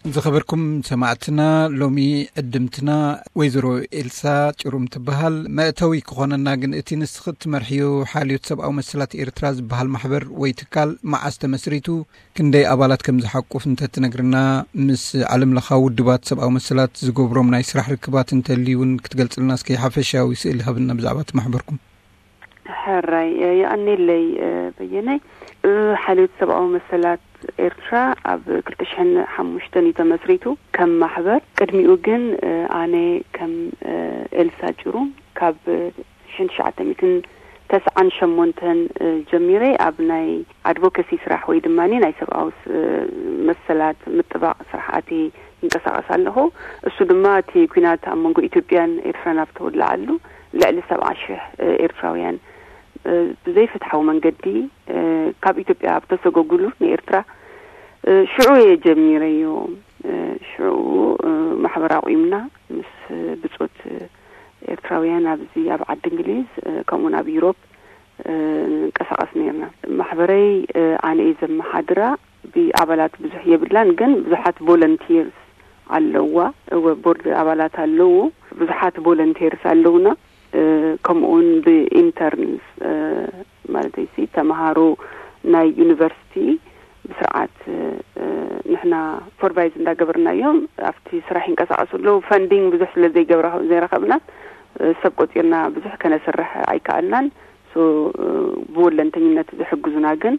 ዝኸበርኩም ሰማዕትና፣ ሎሚ ዕድምትና ወይዘሮ ኤልሳ ጭሩም ትበሃል። መእተዊ ክኾነና ግን፣ እቲ ንስኺ እትመርሕዮ ሓልዮት ሰብኣዊ መሰላት ኤርትራ ዝበሃል ማሕበር ወይ ትካል መዓስ ተመስሪቱ፣ ክንደይ ኣባላት ከም ዝሓቁፍ እንተትነግርና፣ ምስ ዓለምለኻዊ ውድባት ሰብኣዊ መሰላት ዝገብሮም ናይ ስራሕ ርክባት እንተልዩ እውን ክትገልጽልና እስኪ ሓፈሻዊ ስእሊ ሃብና ብዛዕባ እቲ ማሕበርኩም። ሕራይ፣ እ፣ የቐኔለይ፣ እ፣ በየነይ። እ፣ ሓልዮት ሰብኣዊ መሰላት ኤርትራ ኣብ ክልተ ሽሕን ሓሙሽተን እዩ ተመስሪቱ ከም ማሕበር። ቅድሚኡ ግን፣ እ፣ ኣነ ከም፣ እ፣ ኤልሳ ጭሩም ካብ ሽሕን ትሽዓተ ሚእትን ተስዓን ሸሞንተን፣ እ፣ ጀሚረ ኣብ ናይ ኣድቮኬሲ ስራሕ ወይ ድማ ናይ ሰብኣዊ ስ-፣ መሰላት ምጥባቕ ስራሕ ኣትየ ይንቀሳቐስ ኣለኹ። እሱ ድማ እቲ ኲናት ኣብ መንጎ ኢትዮጵያን ኤርትራን ኣብ ተወለዓሉ ልዕሊ ሰብዓ ሽሕ፣ እ፣ ኤርትራውያን፣ እ፣ ብዘይፍትሓዊ መንገዲ፣ እ፣ ካብ ኢትዮጵያ ኣብ ተሰጎጉሉ ንኤርትራ፣ እ፣ ሽዑ እየ ጀሚረዮ። እ፣ ሽዑ፣ እ፣ ማሕበር ኣቑምና ምስ ብጾት ኤርትራውያን ኣብዚ ኣብ ዓዲ እንግሊዝ፣ እ፣ ከምኡውን ኣብ ዩሮፕ፣ እ፣ ንንቀሳቐስ ነርና። ማሕበረይ፣ እ፣ ኣነ እየ ዘመሓድራ። ብኣባላት ብዙሕ የብላን፣ ግን ብዙሓት ቮለንቲርስ ኣለዋ። እወ፣ ቦርድ ኣባላት ኣለዉ። ብዙሓት ቮለንቲርስ ኣለውና። እ፣ ከምኡውን ብኢንተርንስ፣ እ፣ ማለተይሲ ተምሃሮ ናይ ዩኒቨርሲቲ ብስርዓት፣ እ፣ ንሕና ሱፐርቫይዝ እንዳገበርናዮም ኣብቲ ስራሕ ይንቀሳቐሱ ኣለዉ። ፈንዲንግ ብዙሕ ስለ ዘይገብራ-፣ ዘይረኸብና፣ እ፣ ሰብ ቆጺርና ብዙሕ ከነስርሕ ኣይከኣልናን። ሶ፣ እ፣ ብወለንተኝነት ዝሕግዙና ግን፣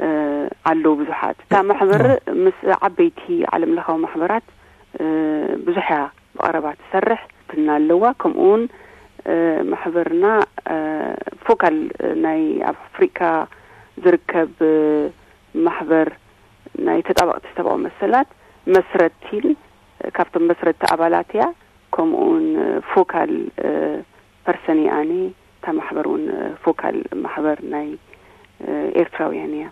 እ፣ ኣለዉ ብዙሓት። እታ ማሕበር ምስ ዓበይቲ ዓለምለኻዊ ማሕበራት፣ እ፣ ብዙሕ እያ ብቐረባ ትሰርሕ። ትና ኣለዋ። ከምኡውን፣ እ፣ ማሕበርና፣ እ፣ ፎካል ናይ ኣብ ኣፍሪካ ዝርከብ፣ እ፣ ማሕበር ናይ ተጣበቕቲ ሰብኣዊ መሰላት መስረቲን፣ እ፣ ካብቶም መስረቲ ኣባላት እያ። ከምኡውን፣ እ፣ ፎካል፣ እ፣ ፐርሰን እየ ኣነ። እታ ማሕበር እውን፣ እ፣ ፎካል ማሕበር ናይ፣ እ፣ ኤርትራውያን እያ።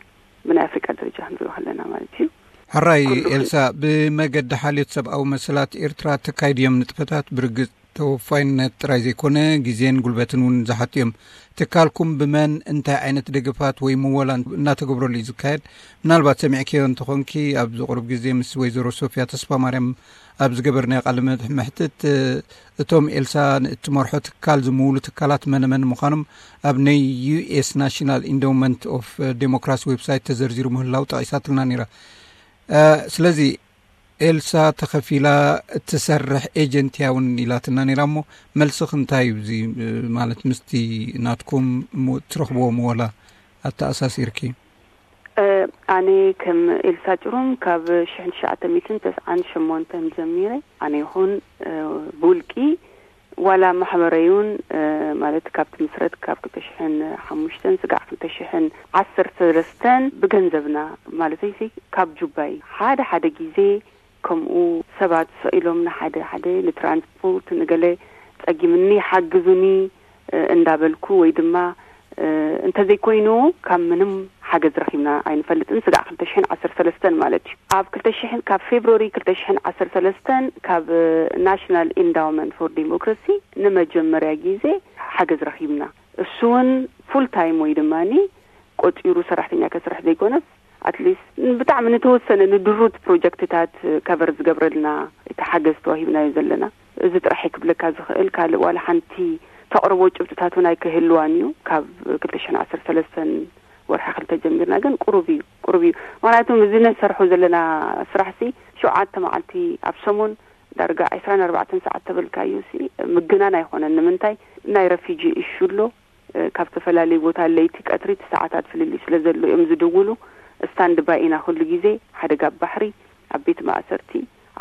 ብናይ ኣፍሪቃ ደረጃ ክንሪኦ ከለና ማለት እዩ። ሕራይ ኩሉ ኤልሳ፣ ብመገዲ ሓልዮት ሰብኣዊ መሰላት ኤርትራ ተካይድዮም ንጥፈታት ብርግጽ ተወፋይነት ጥራይ ዘይኮነ፣ ግዜን ጉልበትን እውን ዝሓቱ እዮም። ትካልኩም ብመን፣ እንታይ ዓይነት ደገፋት ወይ ምወላ እናተገብረሉ እዩ ዝካየድ? ምናልባት ሰሚዕክዮ እንተኾንኪ፣ ኣብዚ ቁሩብ ግዜ ምስ ወይዘሮ ሶፊያ ተስፋ ማርያም ኣብ ዝገበርናዮ ቃለ መሕ-፣ መሕትት፣ እ፣ እቶም ኤልሳ ንእትመርሖ ትካል ዝምውሉ ትካላት መን መን ምዃኖም ኣብ ናይ ዩ ኤስ ናሽናል ኢንዶውመንት ኦፍ ዴሞክራሲ ዌብሳይት ተዘርዚሩ ምህላው ጠቒሳትልና ነይራ። እ፣ ስለዚ ኤልሳ ተኸፊላ እትሰርሕ ኤጀንት እያ እውን ኢላትና ነይራ። እሞ መልስኽ እንታይ እዩ? እዚ፣ እ፣ ማለት ምስቲ ናትኩም ሙ-፣ እትረኽብዎ ምወላ ኣተኣሳሲርኪ። እ፣ ኣነ ከም ኤልሳ ጭሩም ካብ ሽሕን ትሽዓተ ሚእትን ተስዓን ሸሞንተን ጀሚረ፣ ኣነ ይኹን፣ እ፣ ብውልቂ ዋላ ማሕበረይ እውን፣ እ፣ ማለት ካብ ትምስረት ካብ ክልተ ሽሕን ሓሙሽተን ስጋዕ ክልተ ሽሕን ዓሰርተ ሰለስተን ብገንዘብና፣ ማለተይሲ ካብ ጁባይ ሓደ ሓደ ግዜ ከምኡ ሰባት ስቕ ኢሎም ንሓደ ሓደ ንትራንስፖርት ንገለ ጸጊምኒ ሓግዙኒ፣ እ፣ እንዳበልኩ ወይ ድማ፣ እ፣ እንተዘይኮይኑ ካብ ምንም ሓገዝ ረኺብና ኣይንፈልጥን። ስጋዕ ክልተ ሽሕን ዓሰርተ ሰለስተን ማለት እዩ። ኣብ ክልተ ሽሕን፣ ካብ ፌብሩዋሪ ክልተ ሽሕን ዓሰርተ ሰለስተን ካብ፣ እ፣ ናሽናል ኢንዳውመንት ፎር ዲሞክራሲ ንመጀመርያ ግዜ ሓገዝ ረኺብና። እሱ እውን ፉል ታይም ወይ ድማኒ ቆጺሩ ሰራሕተኛ ከስርሕ ዘይኮነስ፣ ኣትሊስት ብጣዕሚ ንተወሰነ ንድሩት ፕሮጀክትታት ከቨር ዝገብረልና እቲ ሓገዝ ተዋሂብናዮ ዘለና። እዚ ጥራሕ ክብለካ ዝኽእል፣ ካልእ ዋላ ሓንቲ ተቕርቦ ጭብጥታት እውን ኣይክህልዋን እዩ። ካብ ክልተ ሽሕን ዓሰርተ ሰለስተን ወርሒ ክልተ ጀሚርና ግን ቁሩብ እዩ፣ ቁሩብ እዩ። ምኽንያቱ እዚ ንሰርሖ ዘለና ስራሕሲ ሸውዓተ መዓልቲ ኣብ ሰሙን ዳርጋ ዕስራን ኣርባዕተን ሰዓት ተበልካዮ ሲ ምግናን ኣይኮነን። ንምንታይ? ናይ ረፊጂ እሹ ኣሎ፣ እ፣ ካብ ዝተፈላለዩ ቦታ ለይቲ ቀትሪ እቲ ሰዓታት ፍልልይ ስለ ዘሎ እዮም ዝድውሉ። ስታንድ ባይ ኢና ኩሉ ግዜ፣ ሓደጋ ኣብ ባሕሪ፣ ኣብ ቤት ማእሰርቲ፣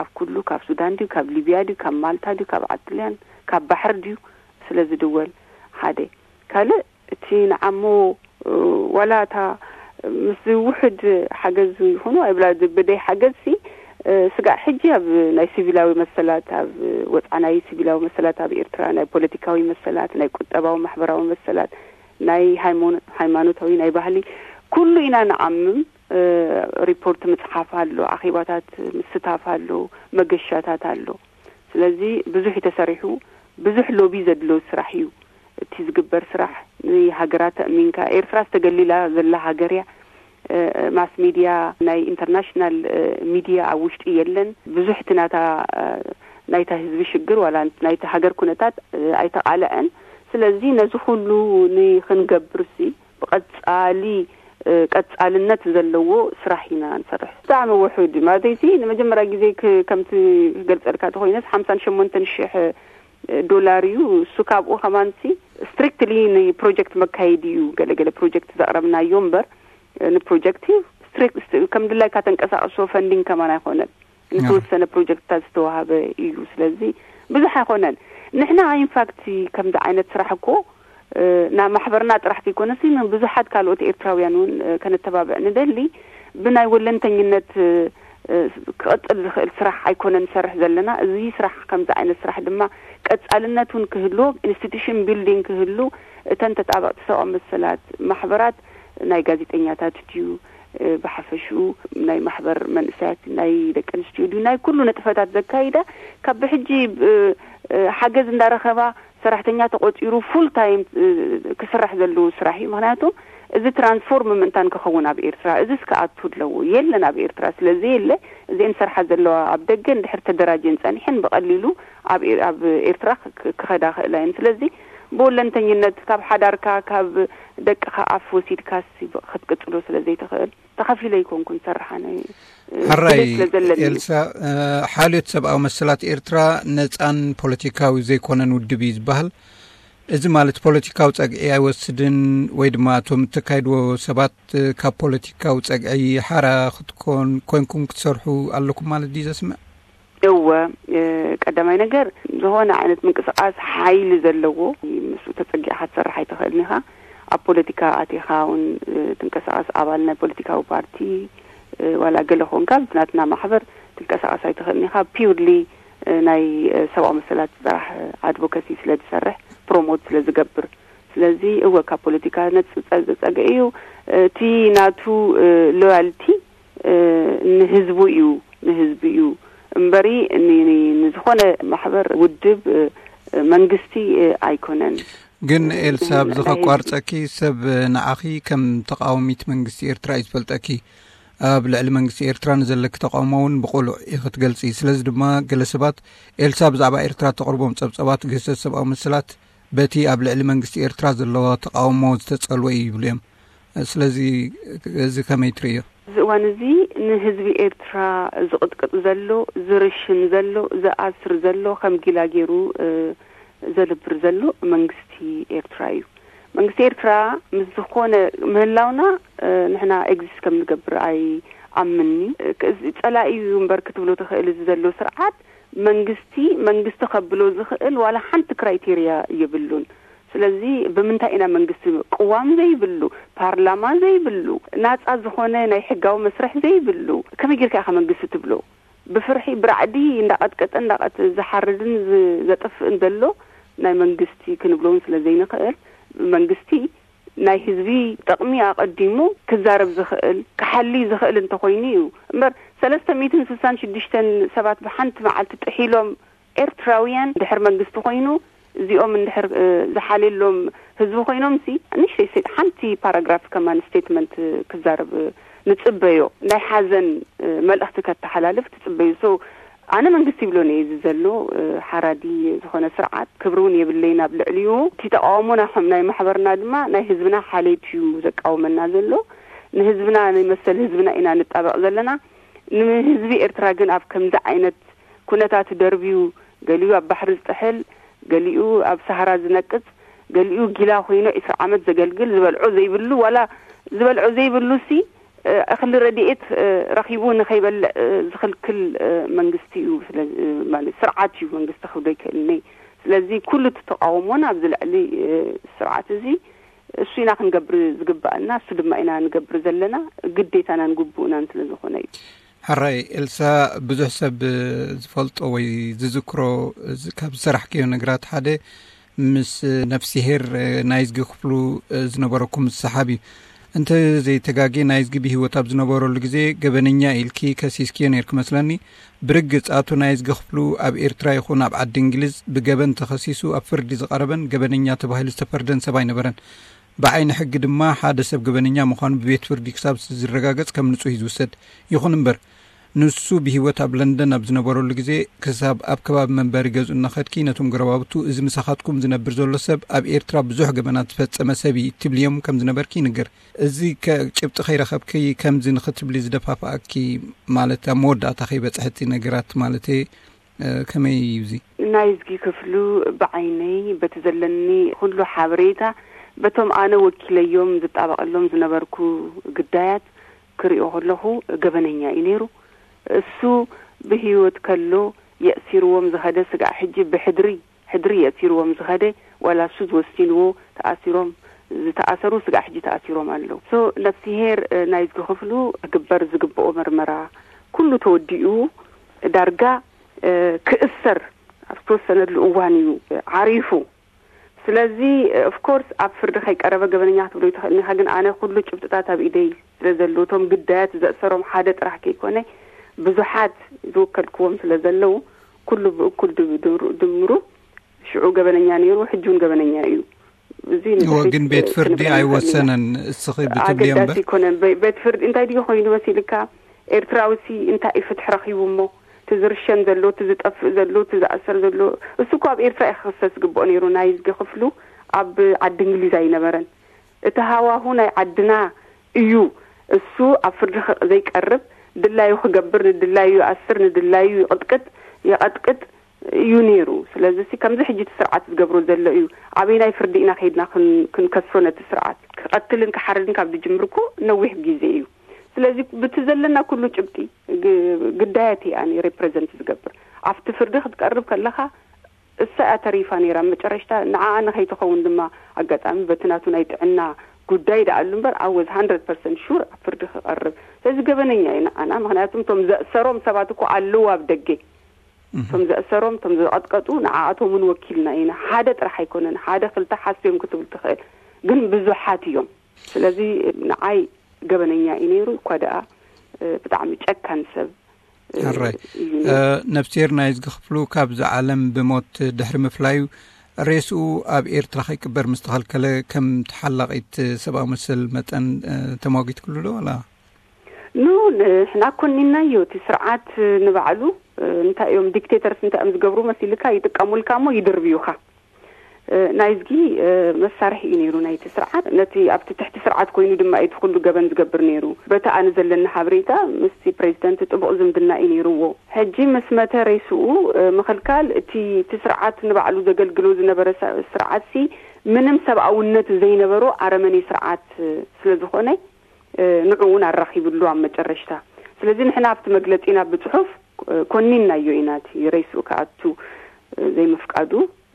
ኣብ ኩሉ፣ ካብ ሱዳን ድዩ፣ ካብ ሊብያ ድዩ፣ ካብ ማልታ ድዩ፣ ካብ ዓጥልያን፣ ካብ ባሕሪ ድዩ፣ ስለ ዝድወል ሓደ። ካልእ እቲ ንዓሞ፣ እ፣ ዋላ እታ ምስ ውሕድ ሓገዝ ይኹኑ ኣይብላ፣ ብደይ ሓገዝሲ፣ እ፣ ስጋዕ ሕጂ ኣብ ናይ ሲቪላዊ መሰላት፣ ኣብ ወፅዓ ናይ ሲቪላዊ መሰላት ኣብ ኤርትራ፣ ናይ ፖለቲካዊ መሰላት፣ ናይ ቁጠባዊ ማሕበራዊ መሰላት፣ ናይ ሃይሞኖ-፣ ሃይማኖታዊ፣ ናይ ባህሊ፣ ኩሉ ኢና ንዓምም። እ፣ ሪፖርት ምፅሓፍ ኣሎ፣ ኣኼባታት ምስታፍ ኣሎ፣ መገሻታት ኣሎ። ስለዚ ብዙሕ እዩ ተሰሪሑ፣ ብዙሕ ሎቢ ዘድሎ ስራሕ እዩ። እቲ ዝግበር ስራሕ ንሃገራ ተእሚንካ፣ ኤርትራ ዝተገሊላ ዘላ ሃገር እያ። ማስ ሚድያ፣ ናይ ኢንተርናሽናል ሚድያ ኣብ ውሽጢ የለን። ብዙሕ እቲ ናታ ናይታ ህዝቢ ሽግር ዋላ ናይታ ሃገር ኩነታት ኣይተቓልዐን። ስለዚ ነዚ ኩሉ ንክንገብር ሲ ብቐጻሊ ቀጻልነት ዘለዎ ስራሕ ኢና ንሰርሕ። ብጣዕሚ ውሑድ ማለት ሲ ንመጀመርያ ግዜ ከምቲ ክገልጸልካ ተኮይነስ ሓምሳን ሸሞንተን ሽሕ ዶላር እዩ። እሱ ካብኡ ከማንሲ ስትሪክትሊ ንፕሮጀክት መካየዲ እዩ። ገለገለ ፕሮጀክት ዘቕረብናዮ እምበር ንፕሮጀክት እዩ ስትሪክት ከም ድላይካ ተንቀሳቀሶ ፈንዲንግ ከማን ኣይኮነን። ንተወሰነ ፕሮጀክትታት ዝተዋሃበ እዩ። ስለዚ ብዙሕ ኣይኮነን። ንሕና ኢንፋክት ከምዚ ዓይነት ስራሕ እኮ ናብ ማሕበርና ጥራሕ ዘይኮነሲ ንብዙሓት ካልኦት ኤርትራውያን እውን ከነተባብዕ ንደሊ። ብናይ ወለንተኝነት ክቐጽል ዝኽእል ስራሕ ኣይኮነን ንሰርሕ ዘለና። እዚ ስራሕ ከምዚ ዓይነት ስራሕ ድማ ቀጻልነት እውን ክህልዎ ኢንስቲቱሽን ቢልዲንግ ክህሉ እተን ተጣበቕቲ ሰብኣዊ መሰላት ማሕበራት ናይ ጋዜጠኛታት ድዩ ብሓፈሽኡ ናይ ማሕበር መንእሰያት ናይ ደቂ ኣንስትዮ ድዩ ናይ ኩሉ ነጥፈታት ዘካይዳ ካብ ብሕጂ ሓገዝ እንዳረኸባ ሰራሕተኛ ተቆጺሩ ፉል ታይም ክስራሕ ዘለዎ ስራሕ እዩ። ምክንያቱ እዚ ትራንስፎርም ምእንታን ክኸውን ኣብ ኤርትራ እዚ ስክኣቱ ኣለዎ የለን ኣብ ኤርትራ ስለዚ የለ እዚን ሰርሓ ዘለዋ ኣብ ደገ እንድሕር ተደራጀን ጸኒሐን ብቐሊሉ ኣብ ኤርትራ ክኸዳ ክእላ እየን። ስለዚ ብወለንተኝነት ካብ ሓዳርካ ካብ ደቅኻ ኣፍ ወሲድካ ክትቅጽሎ ስለ ዘይትኽእል ተኸፊለ ይኮንኩን ሰርሓ ናይ ሕራይ ስለዘለኒ። ኤልሳ፣ ሓልዮት ሰብኣዊ መሰላት ኤርትራ ነጻን ፖለቲካዊ ዘይኮነን ውድብ እዩ ዝበሃል። እዚ ማለት ፖለቲካዊ ጸግዒ ኣይወስድን ወይ ድማ እቶም እተካይድዎ ሰባት ካብ ፖለቲካዊ ጸግዒ ሓራ ክትኮን ኮይንኩም ክትሰርሑ ኣለኩም ማለት ድዩ ዘስምዕ? እወ፣ ቀዳማይ ነገር ዝኾነ ዓይነት ምንቅስቃስ ሓይሊ ዘለዎ ምስኡ ተጸጊዕካ ትሰርሕ ኣይትኽእልን ኢኻ። ኣብ ፖለቲካ ኣቲኻ እውን ትንቀሳቀስ ኣባል ናይ ፖለቲካዊ ፓርቲ ዋላ ገለ ኮንካ ናትና ማሕበር ትንቀሳቀስ ኣይትኽእልን ኢኻ። ፒውርሊ ናይ ሰብኣዊ መሰላት ጥራሕ ኣድቮካሲ ስለ ዝሰርሕ ፕሮሞት ስለ ዝገብር ስለዚ እወ ካብ ፖለቲካ ነጽ ጸግዒ እዩ። እቲ ናቱ ሎያልቲ ንህዝቡ እዩ ንህዝቢ እዩ እምበሪ ንዝኾነ ማሕበር ውድብ መንግስቲ ኣይኮነን። ግን ኤልሳ ብዚ ከቋርጸኪ ሰብ ንዓኺ ከም ተቃወሚት መንግስቲ ኤርትራ እዩ ዝፈልጠኪ። ኣብ ልዕሊ መንግስቲ ኤርትራ ንዘለኪ ተቃውሞ እውን ብቁሉዕ ኢኺ ትገልጺ። ስለዚ ድማ ገለ ሰባት ኤልሳ ብዛዕባ ኤርትራ ተቕርቦም ጸብጸባት ግህሰት ሰብኣዊ መሰላት በቲ ኣብ ልዕሊ መንግስቲ ኤርትራ ዘለዎ ተቃውሞ ዝተጸልወ እዩ ይብሉ እዮም። ስለዚ እዚ ከመይ ትርእዮ? እዚ እዋን እዚ ንህዝቢ ኤርትራ ዝቕጥቅጥ ዘሎ ዝርሽን ዘሎ ዝኣስር ዘሎ ከም ጊላ ገይሩ ዘልብር ዘሎ መንግስቲ ኤርትራ እዩ። መንግስቲ ኤርትራ ምስ ዝኾነ ምህላውና ንሕና ኤግዚስት ከም ንገብር ኣይኣምንኒ። ጸላኢ እዩ እምበር ክትብሎ ትኽእል እዚ ዘሎ ስርዓት መንግስቲ መንግስቲ ከብሎ ዝኽእል ዋላ ሓንቲ ክራይቴርያ የብሉን። ስለዚ ብምንታይ ኢና መንግስቲ ቅዋም ዘይብሉ ፓርላማ ዘይብሉ ናፃ ዝኾነ ናይ ሕጋዊ መስርሕ ዘይብሉ ከመይ ጌርካ ኢኻ መንግስቲ ትብሎ? ብፍርሒ ብራዕዲ እንዳቐጥቀጠ እንዳቐት ዝሓርድን ዘጥፍእን ዘሎ ናይ መንግስቲ ክንብሎ እውን ስለ ዘይንኽእል መንግስቲ ናይ ህዝቢ ጥቕሚ ኣቐዲሙ ክዛረብ ዝኽእል ክሓሊ ዝኽእል እንተኾይኑ እዩ። እምበር ሰለስተ ሚእትን ስሳን ሽዱሽተን ሰባት ብሓንቲ መዓልቲ ጥሒሎም ኤርትራውያን ድሕር መንግስቲ ኮይኑ እዚኦም እንድሕር ዝሓልየሎም ህዝቢ ኮይኖም ሲ ንሽተይ ሓንቲ ፓራግራፍ ከማን ስቴትመንት ክዛረብ ንጽበዮ ናይ ሓዘን መልእኽቲ ከተሓላልፍ ትጽበዩ። ሶ ኣነ መንግስቲ ይብሎ ነየ እዚ ዘሎ ሓራዲ ዝኾነ ስርዓት ክብሪ እውን የብለይን ኣብ ልዕሊኡ። እቲ ተቃውሞ ናይ ማሕበርና ድማ ናይ ህዝብና ሓሌት እዩ ዘቃውመና ዘሎ። ንህዝብና ንመሰል ህዝብና ኢና ንጣበቕ ዘለና። ንህዝቢ ኤርትራ ግን ኣብ ከምዚ ዓይነት ኩነታት ደርብዩ ገሊኡ ኣብ ባሕሪ ዝጥሕል ገሊኡ ኣብ ሳሃራ ዝነቅጽ ገሊኡ ጊላ ኮይኑ ዒስራ ዓመት ዘገልግል ዝበልዖ ዘይብሉ ዋላ ዝበልዖ ዘይብሉ ሲ እኽሊ ረድኤት ረኺቡ ንኸይበልዕ ዝኽልክል መንግስቲ እዩ። ስርዓት እዩ መንግስቲ ክብሎ ይክእልኒ። ስለዚ ኩሉ እቲ ተቃውሞን ኣብዚ ልዕሊ ስርዓት እዚ እሱ ኢና ክንገብር ዝግባኣና እሱ ድማ ኢና ንገብር ዘለና ግዴታናን ግቡእናን ስለ ዝኾነ እዩ። ሕራይ ኤልሳ፣ ብዙሕ ሰብ ዝፈልጦ ወይ ዝዝክሮ ካብ ዝሰራሕክዮ ነገራት ሓደ ምስ ነፍስሄር ናይዝጊ ክፍሉ ዝነበረኩም ዝሰሓብ እዩ። እንተ ዘይተጋጌ ናይዝጊ ብህይወት ኣብ ዝነበረሉ ግዜ ገበነኛ ኢልኪ ከሲስክዮ ነይርኪ መስለኒ። ብርግጽ ኣቶ ናይዝጊ ክፍሉ ኣብ ኤርትራ ይኹን ኣብ ዓዲ እንግሊዝ ብገበን ተኸሲሱ ኣብ ፍርዲ ዝቐረበን ገበነኛ ተባሂሉ ዝተፈርደን ሰብ ኣይነበረን። ብዓይኒ ሕጊ ድማ ሓደ ሰብ ገበነኛ ምዃኑ ብቤት ፍርዲ ክሳብ ዝረጋገጽ ከም ንጹህ እዩ ዝውሰድ። ይኹን እምበር፣ ንሱ ብህይወት ኣብ ለንደን ኣብ ዝነበረሉ ግዜ፣ ክሳብ ኣብ ከባቢ መንበሪ ገዝኡ እናኸድኪ፣ ነቶም ጎረባብቱ፣ "እዚ ምሳኻትኩም ዝነብር ዘሎ ሰብ ኣብ ኤርትራ ብዙሕ ገበናት ዝፈጸመ ሰብ እዩ" ትብልዮም ከም ዝነበርኪ ይንገር። እዚ ከ ጭብጢ ከይረኸብኪ ከምዚ ንኽትብሊ ዝደፋፍኣኪ፣ ማለት ኣብ መወዳእታ ከይበጽሐ እቲ ነገራት ማለተይ፣ እ፣ ከመይ እዩ እዚ? ናይዝጊ ክፍሉ፣ ብዓይነይ በቲ ዘለኒ ኩሉ ሓበሬታ፣ በቶም ኣነ ወኪለዮም ዝጣበቐሎም ዝነበርኩ ግዳያት ክሪኦ ከለኹ፣ ገበነኛ እዩ ነይሩ። እሱ ብህይወት ከሎ የእሲርዎም ዝኸደ ስጋዕ ሕጂ ብሕድሪ፣ ሕድሪ የእሲርዎም ዝኸደ፣ ዋላ እሱ ዝወሲንዎ ተኣሲሮም፣ ዝተኣሰሩ ስጋዕ ሕጂ ተኣሲሮም ኣለዉ። ሶ ነፍስሄር፣ እ፣ ናይዝጊ ክፍሉ ክግበር ዝግብኦ መርመራ ኩሉ ተወዲኡ ዳርጋ፣ እ፣ ክእሰር ኣብ ዝተወሰነሉ እዋን እዩ፣ እ፣ ዓሪፉ። ስለዚ፣ እ፣ ኦፍ ኮርስ ኣብ ፍርዲ ከይቀረበ ገበነኛ ክትብሎ ይትኽእል ኢኻ፣ ግን ኣነ ኩሉ ጭብጥታት ኣብ ኢደይ ስለ ዘለዉ፣ እቶም ግዳያት ዘእሰሮም ሓደ ጥራሕ ከይኮነ ብዙሓት ዝወከልክዎም ስለ ዘለዉ፣ ኩሉ ብእኩል ድም-፣ ድምሩ፣ ድምሩ ሽዑ ገበነኛ ነይሩ፣ ሕጂ እውን ገበነኛ እዩ። እዚ እዎ፣ ንድሕሪት ግን ቤት ፍርዲ ክንብል ንኽእል ኢና። ኣይወሰነን። እስኺ ብትብልዮ ኣገዳሲ እምበር። ኣይኮነን። በ-፣ ቤት ፍርዲ እንታይ ድዩ ኮይኑ መሲልካ? ኤርትራዊ ሲ እንታይ እዩ ፍትሒ ረኺቡ እሞ? እቲ ዝርሸን ዘሎ፣ እቲ ዝጠፍእ ዘሎ፣ እቲ ዝኣሰር ዘሎ፣ እሱ እኮ ኣብ ኤርትራ እዩ ክኽሰስ ዝግብኦ ነይሩ። ናይዝጊ ክፍሉ ኣብ ዓዲ እንግሊዝ ኣይነበረን። እቲ ሃዋሁ ናይ ዓድና እዩ። እሱ ኣብ ፍርዲ ኸ-፣ ዘይቀርብ፣ ድላዩ ክገብር፣ ንድላዩ ይኣስር፣ ንድላዩ ይቕጥቅጥ፣ የቐጥቅጥ እዩ ነይሩ። ስለዚ ሲ ከምዚ ሕጂ እቲ ስርዓት ዝገብሮ ዘሎ እዩ። ኣበይናይ ፍርዲ ኢና ከይድና ክን-፣ ክንከሶ ነቲ ስርዓት? ክቐትልን ክሓርድን ካብ ዝጅምር እኮ ነዊሕ ግዜ እዩ። ስለዚ ብቲ ዘለና ኩሉ ጭብጢ ግ-፣ ግዳያት እየ ኣነ ሬፕረዘንት ዝገብር። ኣብቲ ፍርዲ ክትቀርብ ከለኻ እሳ እያ ተሪፋ ነይራ። መጨረሽታ ንዓኣ ንኸይትኸውን ድማ ኣጋጣሚ በቲ ናቱ ናይ ጥዕና ጉዳይ ደኣሉ እምበር፣ I was hundred percent sure ኣብ ፍርዲ ክቐርብ። ስለዚ ገበነኛ እዩ ንዓና። ምኽንያቱም እቶም ዘእሰሮም ሰባት እኮ ኣለዉ ኣብ ደገ። እቶም ዘእሰሮም፣ እቶም ዝቐጥቀጡ፣ ንዓኣቶም እውን ወኪልና ኢና። ሓደ ጥራሕ ኣይኮነን፣ ሓደ ክልተ ሓስዮም ክትብል ትኽእል፣ ግን ብዙሓት እዮም። ስለዚ ንዓይ ገበነኛ እዩ ነይሩ፣ እኳ ደኣ፣ እ፣ ብጣዕሚ ጨካን ሰብ፣ እ፣ ሕራይ። እዩ ነይሩ። እ፣ ነፍስሄር ናይዝጊ ክፍሉ ካብዚ ዓለም ብሞት ድሕሪ ምፍላዩ፣ ሬስኡ ኣብ ኤርትራ ከይቅበር ምስ ተኸልከለ፣ ከም ተሓላቒት ሰብኣዊ መሰል መጠን፣ እ፣ ተሟጊትክሉ ዶ ዋላ? ኖ፣ ንሕና ኮኒናዮ። እቲ ስርዓት ንባዕሉ፣ እ፣ እንታይ እዮም ዲክቴተርስ እንታይ እዮም ዝገብሩ መሲልካ፣ ይጥቀሙልካ እሞ ይድርብዩኻ። እ፣ ናይዝጊ፣ እ፣ መሳርሒ እዩ ነይሩ ናይቲ ስርዓት። ነቲ ኣብቲ ትሕቲ ስርዓት ኮይኑ ድማ እዩ እቲ ኩሉ ገበን ዝገብር ነይሩ። በቲ ኣነ ዘለኒ ሓበሬታ ምስቲ ፕሬዚደንት ጥቡቕ ዝምድና እዩ ነይርዎ። ሕጂ ምስ መተ ሬስኡ፣ እ፣ ምኽልካል እቲ፣ እቲ ስርዓት ንባዕሉ ዘገልግሎ ዝነበረ ሳ-፣ ስርዓትሲ ምንም ሰብኣውነት ዘይነበሮ ኣረመኔ ስርዓት፣ እ፣ ስለ ዝኾነ፣ እ፣ ንዑ እውን ኣራኺብሉ ኣብ መጨረሽታ። ስለዚ ንሕና ኣብቲ መግለጺና ብጽሑፍ፣ እ፣ ኮኒናዮ ኢና፣ እቲ ሬስኡ ክኣቱ፣ እ፣ ዘይምፍቃዱ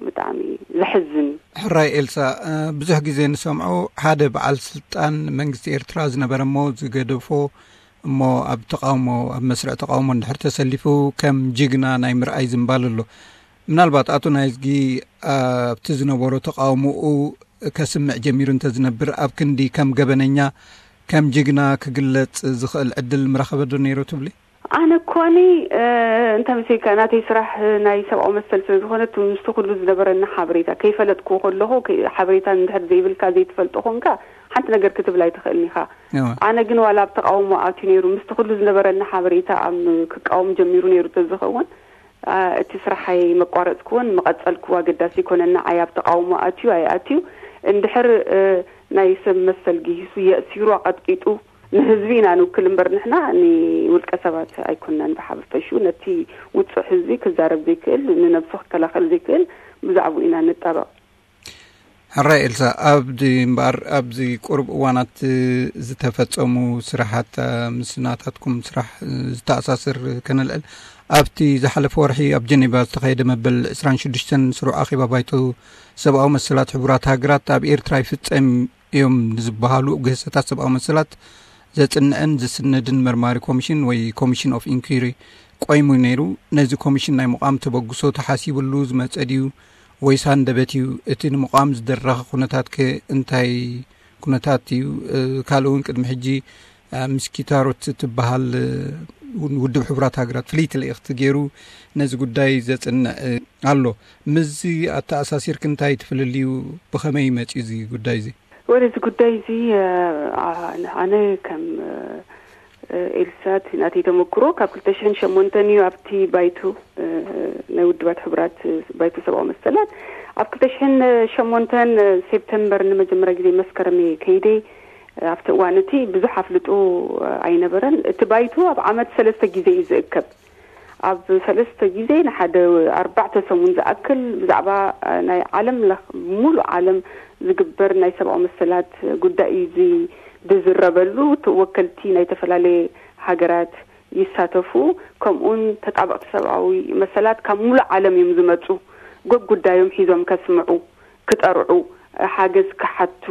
ብጣዕሚ ዘሕዝን እዩ። ሕራይ ኤልሳ፣ እ፣ ብዙሕ ግዜ ንሰምዖ ሓደ በዓል ስልጣን መንግስቲ ኤርትራ ዝነበረ እሞ ዝገደፎ እሞ ኣብ ተቃውሞ፣ ኣብ መስርዕ ተቃውሞ እንድሕር ተሰሊፉ ከም ጅግና ናይ ምርኣይ ዝንባል ኣሎ። ምናልባት ኣቶ ናይዝጊ ኣብቲ ዝነበሮ ተቃውሞኡ ከስምዕ ጀሚሩ እንተዝነብር፣ ኣብ ክንዲ ከም ገበነኛ፣ ከም ጅግና ክግለጽ ዝኽእል ዕድል ምረኸበ ዶ ነይሩ ትብሊ? ኣነ እኳኒ፣ እ፣ እንተ መሲልካ ናተይ ስራሕ ናይ ሰብኣዊ መሰል ስለ ዝኾነ፣ እቲ ምስቲ ኩሉ ዝነበረኒ ሓበሬታ ከይፈለጥኩ ከለኹ፣ ከ-፣ ሓበሬታ እንድሕር ዘይብልካ፣ ዘይትፈልጦ ኮንካ፣ ሓንቲ ነገር ክትብል ኣይትኽእልን ኢኻ። እወ። ኣነ ግን ዋላ ኣብ ተቃውሞ ኣትዩ ነይሩ፣ ምስቲ ኩሉ ዝነበረኒ ሓበሬታ ኣብ ክቃወም ጀሚሩ ነይሩ ተዝኸውን፣ ኣ፣ እቲ ስራሐይ መቋረጽኩዎን ምቐጸልኩዎ ኣገዳሲ ኣይኮነን። ንዓይ ኣብ ተቃውሞ ኣትዩ ኣይኣትዩ፣ እንድሕር፣ እ፣ ናይ ሰብ መሰል ግሂሱ፣ የእሲሩ፣ ኣቐጥቂጡ፣ ንህዝቢ ኢና ንውክል እምበር፣ ንሕና ንውልቀ ሰባት ኣይኮንናን ብሓፈሽኡ። ነቲ ውጹዕ ህዝቢ ክዛረብ ዘይክእል፣ ንነብሱ ክከላኸል ዘይክእል፣ ብዛዕባኡ ኢና ንጣበቕ። ሕራይ ኤልሳ፣ ኣብዚ እምበኣር፣ ኣብዚ ቁሩብ እዋናት ዝተፈጸሙ ስራሓት፣ ምስ ናታትኩም ስራሕ ዝተኣሳስር ከነልዕል፣ ኣብቲ ዝሓለፈ ወርሒ ኣብ ጀኔቫ ዝተኻየደ መበል ዕስራን ሽዱሽተን ስሩዕ ኣኼባ ባይቶ ሰብኣዊ መሰላት ሕቡራት ሃገራት፣ ኣብ ኤርትራ ይፍጸም እዮም ንዝበሃሉ ግህሰታት ሰብኣዊ መሰላት ዘጽንዕን ዝስነድን መርማሪ ኮሚሽን ወይ ኮሚሽን ኦፍ ኢንኩሪ ቆይሙ ነይሩ። ነዚ ኮሚሽን ናይ ምቋም ተበግሶ ተሓሲብሉ ዝመጸ ድዩ ወይስ ሃንደበት እዩ? እቲ ንምቋም ዝደረኸ ኩነታት ከ እንታይ ኩነታት እዩ? እ፣ ካልእ እውን ቅድሚ ሕጂ፣ እ፣ ምስ ኪታሮት እትበሃል፣ እ፣ ውድብ ሕቡራት ሃገራት ፍልይቲ ልእኽቲ ገይሩ ነዚ ጉዳይ ዘጽንዕ፣ እ፣ ኣሎ። ምስዚ ኣተኣሳሲርክ እንታይ ትፍልልዩ? ብኸመይ መጺኡ እዚ ጉዳይ እዚ? ወደ እዚ ጉዳይ እዚ ኣነ ከም ኤልሳ እቲ ናተይ ተመክሮ ካብ ክልተ ሽሕን ሸሞንተን እዩ ኣብቲ ባይቶ ናይ ውድባት ሕቡራት ባይቶ ሰብኣዊ መሰላት ኣብ ክልተ ሽሕን ሸሞንተን ሴፕተምበር ንመጀመርያ ግዜ መስከረም ከይደ ኣብቲ እዋን እቲ ብዙሕ ኣፍልጦ ኣይነበረን። እቲ ባይቶ ኣብ ዓመት ሰለስተ ግዜ እዩ ዝእከብ። ኣብ ሰለስተ ግዜ ንሓደ ኣርባዕተ ሰሙን ዝኣክል ብዛዕባ ናይ ዓለም ለኽ ሙሉእ ዓለም ዝግበር ናይ ሰብኣዊ መሰላት ጉዳይ እዩ ዝዝረበሉ። ወከልቲ ናይ ዝተፈላለየ ሃገራት ይሳተፉ። ከምኡን ተጣበቕቲ ሰብኣዊ መሰላት ካብ ሙሉእ ዓለም እዮም ዝመፁ። ጎግ ጉዳዮም ሒዞም ከስምዑ፣ ክጠርዑ፣ ሓገዝ ክሓቱ፣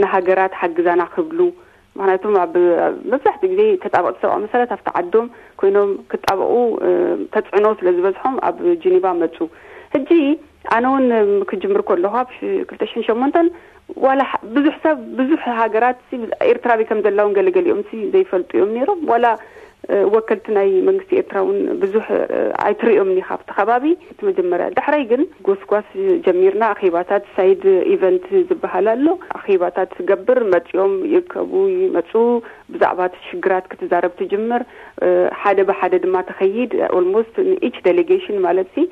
ንሃገራት ሓግዛና ክብሉ። ምክንያቱም ኣብ መብዛሕትኡ ግዜ ተጣበቕቲ ሰብኣዊ መሰላት ኣብቲ ዓዶም ኮይኖም ክጣበቑ ተፅዕኖ ስለ ዝበዝሖም ኣብ ጂኒቫ መፁ። ሕጂ ኣነ እውን ክጅምር ከለኹ ኣብ ክልተ ሽሕን ሸሞንተን ዋላ ብዙሕ ሰብ ብዙሕ ሃገራት ኤርትራ ኣበይ ከም ዘላ እውን ገለገሊኦም ዘይፈልጡ እዮም ነይሮም። ዋላ ወከልቲ ናይ መንግስቲ ኤርትራ እውን ብዙሕ ኣይትርእዮም ኒ ካብቲ ከባቢ እቲ መጀመርያ። ዳሕራይ ግን ጎስጓስ ጀሚርና። ኣኼባታት ሳይድ ኢቨንት ዝበሃል ኣሎ። ኣኼባታት ትገብር፣ መጺኦም ይእከቡ፣ ይመጹ፣ ብዛዕባ እቲ ሽግራት ክትዛረብ ትጅምር። ሓደ ብሓደ ድማ ትኸይድ። ኦልሞስት ንኢች ዴሌጌሽን ማለት ሲ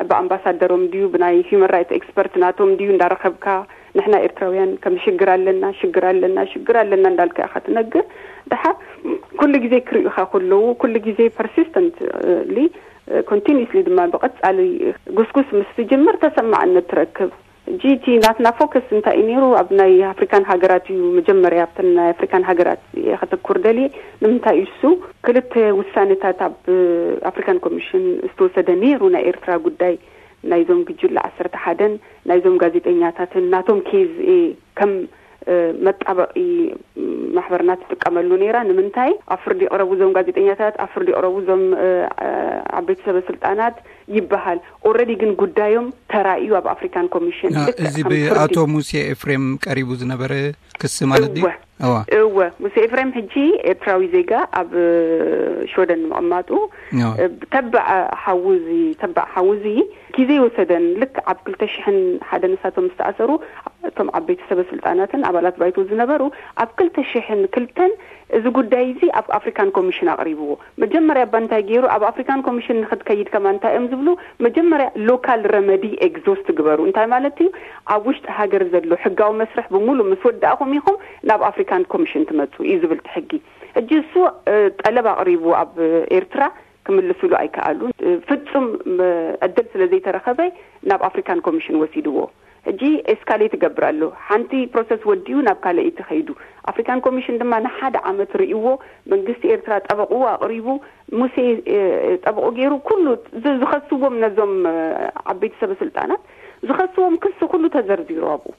ብኣምባሳደሮም ድዩ ብናይ ሂውማን ራይት ኤክስፐርት ናቶም ድዩ እንዳረኸብካ ንሕና ኤርትራውያን ከም ሽግር ኣለና ሽግር ኣለና ሽግር ኣለና እንዳልካ ኢኻ ትነግር። ድሓር ኩሉ ግዜ ክርእዩኻ ከለዉ ኩሉ ግዜ ፐርሲስተንትሊ ኮንቲኒስሊ ድማ ብቐጻሊ ጉስጉስ ምስ ትጅምር ተሰማዕነት ትረክብ። ሕጂ እቲ ናትና ፎከስ እንታይ እዩ ነይሩ? ኣብ ናይ ኣፍሪካን ሃገራት እዩ መጀመርያ ኣብተን ናይ ኣፍሪካን ሃገራት እየ ከተኩር ደልየ። ንምንታይ እዩ እሱ ክልተ ውሳኔታት ኣብ ኣፍሪካን ኮሚሽን ዝተወሰደ ነይሩ። ናይ ኤርትራ ጉዳይ ናይዞም ግጅለ ዓሰርተ ሓደን ናይዞም ጋዜጠኛታትን ናቶም ኬዝ እየ ከም መጣበቂ ማሕበርና ትጥቀመሉ ነይራ። ንምንታይ ኣብ ፍርዲ ይቕረቡ እዞም ጋዜጠኛታት፣ ኣብ ፍርዲ ይቕረቡ እዞም ዓበይቲ ሰበ ስልጣናት ይበሃል። ኦረዲ ግን ጉዳዮም ተራእዩ ኣብ ኣፍሪካን ኮሚሽን እዚ ብኣቶ ሙሴ ኤፍሬም ቀሪቡ ዝነበረ ክሲ ማለት ድዩ? እወ ሙሴ ኤፍሬም ሕጂ ኤርትራዊ ዜጋ ኣብ ሽወደን ምቕማጡ ተባዕ ሓውዚ ተባዕ ሓውዚ ግዜ ይወሰደን። ልክ ኣብ ክልተ ሽሕን ሓደ ንሳቶም ዝተኣሰሩ እቶም ዓበይቲ ሰበ ስልጣናትን ኣባላት ባይቶ ዝነበሩ ኣብ ክልተ ሽሕን ክልተን እዚ ጉዳይ እዚ ኣብ ኣፍሪካን ኮሚሽን ኣቕሪብዎ። መጀመርያ እባ እንታይ ገይሩ ኣብ ኣፍሪካን ኮሚሽን ንክትከይድ ከማ እንታይ እዮም ዝብሉ? መጀመርያ ሎካል ረመዲ ኤግዞስት ግበሩ። እንታይ ማለት እዩ? ኣብ ውሽጢ ሃገር ዘሎ ሕጋዊ መስርሕ ብምሉእ ምስ ወዳእኹም ኢኹም ናብ ኣፍሪካን ኮሚሽን ትመፁ እዩ ዝብል እቲ ሕጊ። ሕጂ እሱ ጠለብ ኣቕሪቡ ኣብ ኤርትራ ክምልስሉ ኣይከኣሉን። ፍጹም ዕድል ስለ ዘይተረኸበ ናብ ኣፍሪካን ኮሚሽን ወሲድዎ። ሕጂ ኤስካሌት ይገብር ኣሎ። ሓንቲ ፕሮሰስ ወዲኡ ናብ ካልኣይቲ ከይዱ። ኣፍሪካን ኮሚሽን ድማ ንሓደ ዓመት ርእይዎ። መንግስቲ ኤርትራ ጠበቕኡ ኣቕሪቡ፣ ሙሴ ጠበቑ ገይሩ ኩሉ ዝኸስዎም ነዞም ዓበይቲ ሰበ ስልጣናት ዝኸስዎም ክሲ ኩሉ ተዘርዚሩ ኣብኡ።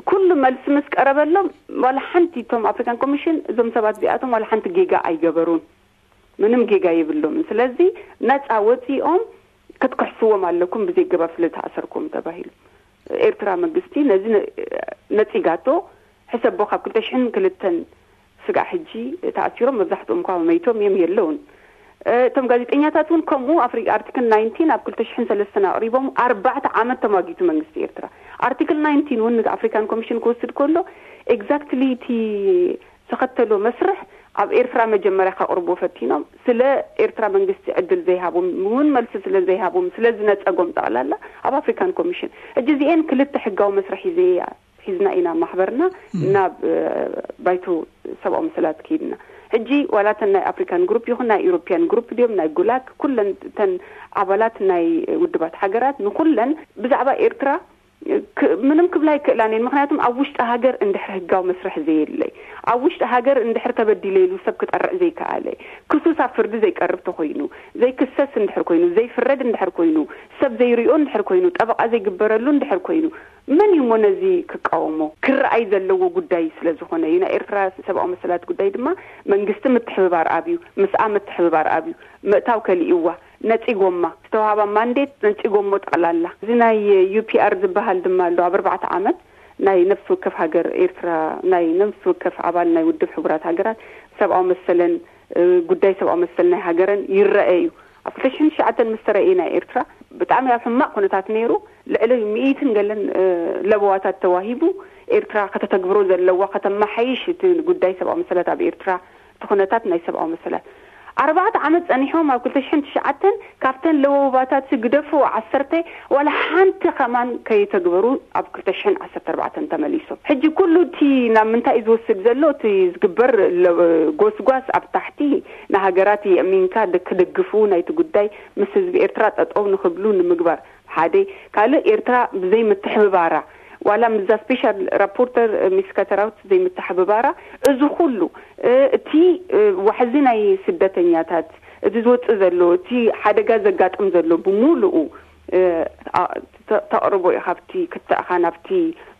ኩሉ መልሲ ምስ ቀረበሎም ዋላ ሓንቲ እቶም ኣፍሪካን ኮሚሽን እዞም ሰባት እዚኣቶም ዋላ ሓንቲ ጌጋ ኣይገበሩን፣ ምንም ጌጋ የብሎምን። ስለዚ ነፃ ወፂኦም ክትክሕስዎም ኣለኩም ብዘይ ገባብ ስለ ዝተኣሰርኩም ተባሂሉ። ኤርትራ መንግስቲ ነዚ ነፂጋቶ። ሕሰቦ ካብ ክልተ ሽሕን ክልተን ስጋዕ ሕጂ ተኣሲሮም መብዛሕትኦም እኳ መይቶም እዮም የለውን። እቶም ጋዜጠኛታት እውን ከምኡ ኣርቲክል ናይንቲን ኣብ ክልተ ሽሕን ሰለስተን ኣቕሪቦም ኣርባዕተ ዓመት ተማጊቱ መንግስቲ ኤርትራ። ኣርቲክል ናይንቲን እውን ኣፍሪካን ኮሚሽን ክወስድ ከሎ ኤግዛክትሊ እቲ ዝተኸተሎ መስርሕ ኣብ ኤርትራ መጀመርያ ከቕርቦ ፈቲኖም ስለ ኤርትራ መንግስቲ ዕድል ዘይሃቦም እውን መልሲ ስለ ዘይሃቦም ስለ ዝነፀጎም ጠቕላላ ኣብ ኣፍሪካን ኮሚሽን። ሕጂ እዚኤን ክልተ ሕጋዊ መስርሕ ሒዘ ሒዝና ኢና ማሕበርና ናብ ባይቶ ሰብኣዊ መሰላት ከይድና። ሕጂ ዋላ እተን ናይ ኣፍሪካን ግሩፕ ይኹን ናይ ኢሮፒያን ግሩፕ ድዮም ናይ ጉላክ ኩለን እተን ኣባላት ናይ ውድባት ሃገራት ንኩለን ብዛዕባ ኤርትራ ምንም ክብላ ኣይክእላን እየን። ምክንያቱም ኣብ ውሽጢ ሃገር እንድሕር ህጋዊ መስርሕ ዘየለይ፣ ኣብ ውሽጢ ሃገር እንድሕር ተበዲለ ኢሉ ሰብ ክጠርዕ ዘይከኣለ፣ ክሱስ ኣብ ፍርዲ ዘይቀርብ ተኮይኑ፣ ዘይክሰስ እንድሕር ኮይኑ፣ ዘይፍረድ እንድሕር ኮይኑ፣ ሰብ ዘይሪኦ እንድሕር ኮይኑ፣ ጠበቃ ዘይግበረሉ እንድሕር ኮይኑ፣ መን እዩ እሞ ነዚ ክቃወሞ? ክረኣይ ዘለዎ ጉዳይ ስለ ዝኾነ እዩ። ናይ ኤርትራ ሰብኣዊ መሰላት ጉዳይ ድማ መንግስቲ ምትሕብባር ኣብዩ፣ ምስኣ ምትሕብባር ኣብዩ፣ ምእታው ከሊእዋ፣ ነጺጎማ፣ ዝተዋሃባ ማንዴት ነጺጎሞ ጠቕላላ። እዚ ናይ ዩ ፒ ኣር ዝበሃል ድማ ኣሎ፣ ኣብ ኣርባዕተ ዓመት ናይ ነፍሲ ወከፍ ሃገር ኤርትራ፣ ናይ ነፍሲ ወከፍ ኣባል ናይ ውድብ ሕቡራት ሃገራት ሰብኣዊ መሰለን ጉዳይ ሰብኣዊ መሰል ናይ ሃገረን ይረአ እዩ። ኣብ ክልተ ሽሕን ትሽዓተን ምስ ተረእየ ናይ ኤርትራ ብጣዕሚ ኣብ ሕማቕ ኩነታት ነይሩ። ልዕሊ ሚእትን ገለን ለበዋታት ተዋሂቡ ኤርትራ ከተተግብሮ ዘለዋ፣ ከተመሓይሽ እቲ ጉዳይ ሰብኣዊ መሰላት ኣብ ኤርትራ፣ እቲ ኩነታት ናይ ሰብኣዊ መሰላት። ኣርባዕተ ዓመት ጸኒሖም ኣብ ክልተ ሽሕን ትሽዓተን ካብተን ለወባታት ግደፉ ዓሰርተ ዋላ ሓንቲ ከማን ከይተግበሩ ኣብ ክልተ ሽሕን ዓሰርተ ኣርባዕተን ተመሊሶም። ሕጂ ኩሉ እቲ ናብ ምንታይ እዩ ዝወስድ ዘሎ? እቲ ዝግበር ለ-፣ ጎስጓስ ኣብ ታሕቲ ንሃገራት የእሚንካ ደ-፣ ክደግፉ ናይቲ ጉዳይ ምስ ህዝቢ ኤርትራ ጠጠው ንኽብሉ ንምግባር ሓደ። ካልእ ኤርትራ ብዘይ ምትሕብባራ ዋላ ምስዛ ስፔሻል ራፖርተር ሚስ ከተራውት ዘይምትሕብባራ፣ እዚ ኩሉ፣ እ፣ እቲ፣ እ፣ ዋሕዚ ናይ ስደተኛታት፣ እቲ ዝወጽእ ዘሎ፣ እቲ ሓደጋ ዘጋጥም ዘሎ ብምሉኡ፣ እ፣ ኣ-፣ ተ-፣ ተቕርቦ እዩ። ካብቲ ክትእኻ ናብቲ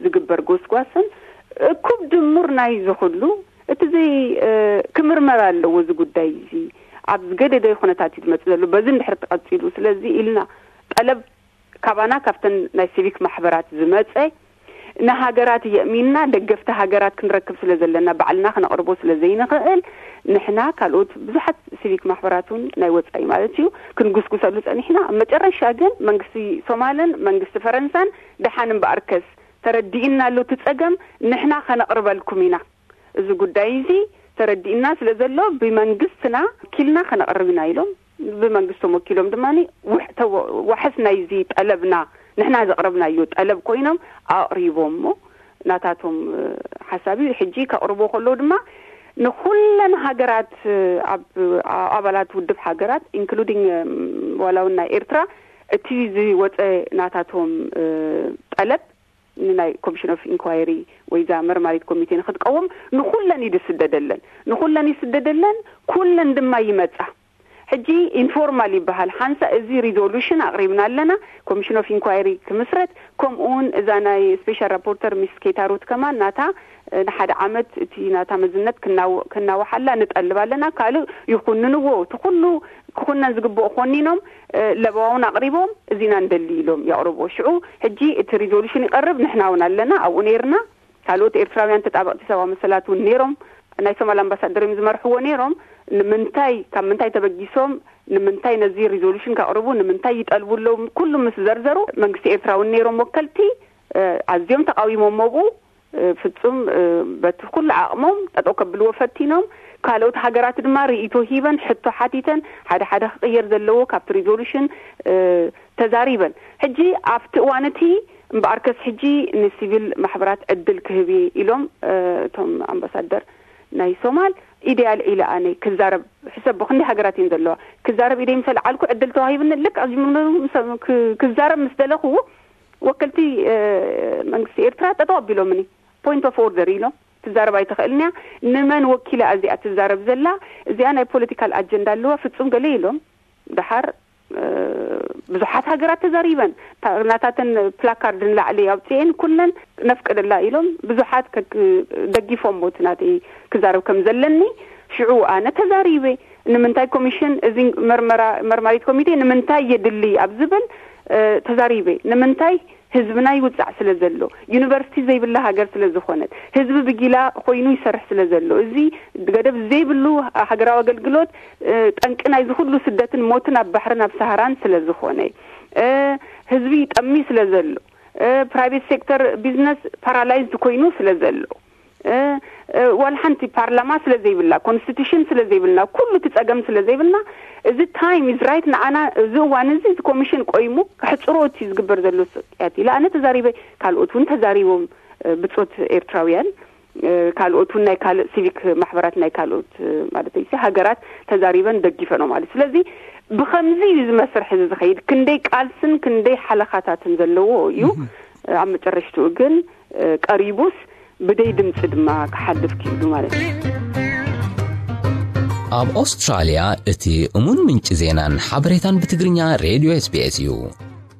ዝግበር ጎስጓስን እኩብ ድሙር ናይ እዚ ኩሉ እቲ ዘይ-፣ እ፣ ክምርመር ኣለዎ። እዚ ጉዳይ እዚ ኣብ ዝገደደ ኩነታት እዩ ዝመጽእ ዘሎ። በዚ እንድሕር ተቐጺሉ፣ ስለዚ ኢልና ጠለብ ካባና ካብተን ናይ ሲቪክ ማሕበራት ዝመጸ ንሃገራት የእሚንና ደገፍቲ ሃገራት ክንረክብ ስለ ዘለና ባዕልና ክነቕርቦ ስለ ዘይንኽእል ንሕና ካልኦት ብዙሓት ሲቪክ ማሕበራት እውን ናይ ወጻኢ ማለት እዩ ክንጉስጉሰሉ ጸኒሕና። ኣብ መጨረሻ ግን መንግስቲ ሶማልን መንግስቲ ፈረንሳን ደሓን እምበኣርከስ ተረዲእና ኣሎ እቲ ጸገም ንሕና ከነቕርበልኩም ኢና። እዚ ጉዳይ እዚ ተረዲእና ስለ ዘሎ ብመንግስትና ወኪልና ከነቕርብ ኢና ኢሎም ብመንግስቶም ወኪሎም ድማ ውሕ-፣ ተወ-፣ ዋሕስ ናይዚ ጠለብና ንሕና ዘቕረብናዮ ጠለብ ኮይኖም ኣቕሪቦሞ ናታቶም፣ እ፣ ሓሳብ እዩ። ሕጂ ከቕርቦ ከለዉ ድማ ንኹለን ሃገራት፣ እ፣ ኣብ፣ ኣ-፣ ኣባላት ውድብ ሃገራት ኢንክሉዲንግ፣ እም፣ ዋላ እውን ናይ ኤርትራ እቲ ዝወፀ ናታቶም፣ እ፣ ጠለብ ንናይ ኮሚሽን ኦፍ ኢንኳይሪ ወይ እዛ መርማሪት ኮሚቴ ንክትቀውም ንኹለን እዩ ዝስደደለን። ንኹለን ይስደደለን፣ ኩለን ድማ ይመጻ። ሕጂ ኢንፎርማል ይበሃል። ሓንሳ እዚ ሪዞሉሽን ኣቕሪብና ኣለና፣ ኮሚሽን ኦፍ ኢንኳይሪ ክምስረት፣ ከምኡ እውን እዛ ናይ ስፔሻል ራፖርተር ሚስ ኬታሩት ከማን ናታ፣ እ፣ ንሓደ ዓመት እቲ ናታ መዝነት ክናው-፣ ክናውሓላ ንጠልብ ኣለና። ካልእ ይኹንንዎ፣ እቲ ኩሉ ክኹነን ዝግብኦ ኮኒኖም፣ እ፣ ለበዋ እውን ኣቕሪቦም፣ እዚና ንደሊ ኢሎም የቕርብዎ። ሽዑ ሕጂ እቲ ሪዞሉሽን ይቐርብ፣ ንሕና እውን ኣለና፣ ኣብኡ ነይርና። ካልኦት ኤርትራውያን ተጣበቕቲ ሰብኣዊ መሰላት እውን ነይሮም፣ ናይ ሶማል ኣምባሳደር እዮም ዝመርሕዎ ነይሮም። ንምንታይ፣ ካብ ምንታይ ተበጊሶም፣ ንምንታይ ነዚ ሪዞሉሽን ከቕርቡ፣ ንምንታይ ይጠልቡ ኣለዉ፣ ኩሉ ምስ ዘርዘሩ፣ መንግስቲ ኤርትራ እውን ነይሮም ወከልቲ፣ እ፣ ኣዝዮም ተቃዊሞሞ ብኡ፣ እ፣ ፍጹም፣ እ፣ በቲ ኩሉ ዓቕሞም ጠጠው ከብልዎ ፈቲኖም። ካልኦት ሃገራት ድማ ርእይቶ ሂበን፣ ሕቶ ሓቲተን፣ ሓደ ሓደ ክቕየር ዘለዎ ካብቲ ሪዞሉሽን፣ እ፣ ተዛሪበን። ሕጂ ኣብቲ እዋን እቲ እምበኣርከስ ሕጂ ንሲቪል ማሕበራት ዕድል ክህብ እየ ኢሎም፣ እ፣ እቶም ኣምባሳደር ናይ ሶማል። ኢደያ ኣልዒለ ኣነ ክዛረብ፣ ሕሰብ ክንደይ ሃገራት እየን ዘለዋ፣ ክዛረብ ኢደይ ምስ ኣልዓልኩ ዕድል ተዋሂብኒ። ልክዕ ኣብዚ ምኑ-፣ ምስ-፣ ክ-፣ ክዛረብ ምስ ደለኹ ወከልቲ፣ እ፣ መንግስቲ ኤርትራ ጠጠው ኣቢሎምኒ። ፖይንት ኦፍ ኦርደር ኢሎም፣ ትዛረብ ኣይትኽእልን እያ። ንመን ወኪላ እዚኣ ትዛረብ ዘላ? እዚኣ ናይ ፖለቲካል ኣጀንዳ ኣለዋ፣ ፍጹም ገለ ኢሎም። ደሓር፣ እ፣ ብዙሓት ሃገራት ተዛሪበን፣ ታ-፣ ናታተን ፕላካርድ ንላዕሊ ኣውፅኤን ኩለን ነፍቅደላ ኢሎም ብዙሓት ከ-፣ ደጊፎም፣ እቲ ናተይ ክዛረብ ከም ዘለኒ። ሽዑ ኣነ ተዛሪበ። ንምንታይ ኮሚሽን እዚ መርመራ-፣ መርማሪት ኮሚቴ ንምንታይ የድሊ ኣብ ዝብል፣ እ፣ ተዛሪበ። ንምንታይ ህዝብና ይውጻዕ ስለ ዘሎ፣ ዩኒቨርሲቲ ዘይብላ ሃገር ስለ ዝኾነት፣ ህዝቢ ብጊላ ኮይኑ ይሰርሕ ስለ ዘሎ፣ እዚ ገደብ ዘይብሉ ሃገራዊ ኣገልግሎት፣ እ፣ ጠንቂ ናይዚ ኩሉ ስደትን ሞትን ኣብ ባሕርን ኣብ ሰሃራን ስለ ዝኾነ፣ እ፣ ህዝቢ ይጠሚ ስለ ዘሎ፣ እ፣ ፕራይቬት ሴክተር ቢዝነስ ፓራላይዝድ ኮይኑ ስለ ዘሎ፣ እ፣ እ፣ ዋላ ሓንቲ ፓርላማ ስለ ዘይብላ፣ ኮንስቲቱሽን ስለ ዘይብልና፣ ኩሉ እቲ ጸገም ስለ ዘይብልና፣ እዚ ታይም ኢዝ ራይት ንዓና፣ እዚ እዋን እዚ፣ እዚ ኮሚሽን ቆይሙ ከሕጽሮ እቲ ዝግበር ዘሎ ስቅያት ኢለ ኣነ ተዛሪበ፣ ካልኦት እውን ተዛሪቦም፣ እ፣ ብጾት ኤርትራውያን፣ እ፣ ካልኦት እውን ናይ ካልእ ሲቪክ ማሕበራት ናይ ካልኦት፣ እ፣ ማለት እዩ፣ ሃገራት ተዛሪበን ደጊፈን ማለት። ስለዚ ብኸምዚ እዩ እዚ መስርሕ እዚ ዝኸይድ። ክንደይ ቃልስን ክንደይ ሓለኻታትን ዘለዎ እዩ። ኣብ መጨረሽትኡ ግን፣ እ፣ ቀሪቡስ ብደይ ድምፂ ድማ ክሓልፍ ክኢሉ ማለት እዩ። ኣብ ኣውስትራልያ እቲ እሙን ምንጪ ዜናን ሓበሬታን ብትግርኛ ሬድዮ ኤስ ቢ ኤስ እዩ።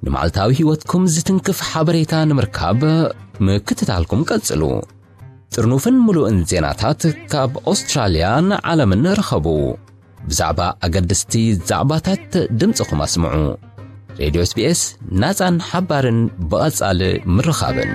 ንመዓልታዊ ህይወትኩም ዝትንክፍ ሓበሬታ ንምርካብ ምክትታልኩም ቀጽሉ። ጥርኑፍን ምሉእን ዜናታት ካብ ኣውስትራልያን ዓለምን ርኸቡ። ብዛዕባ ኣገደስቲ ዛዕባታት ድምፅኹም ኣስምዑ። ሬድዮ ኤስ ቢ ኤስ፣ ናጻን ሓባርን ብቐጻሊ ምርኻብን።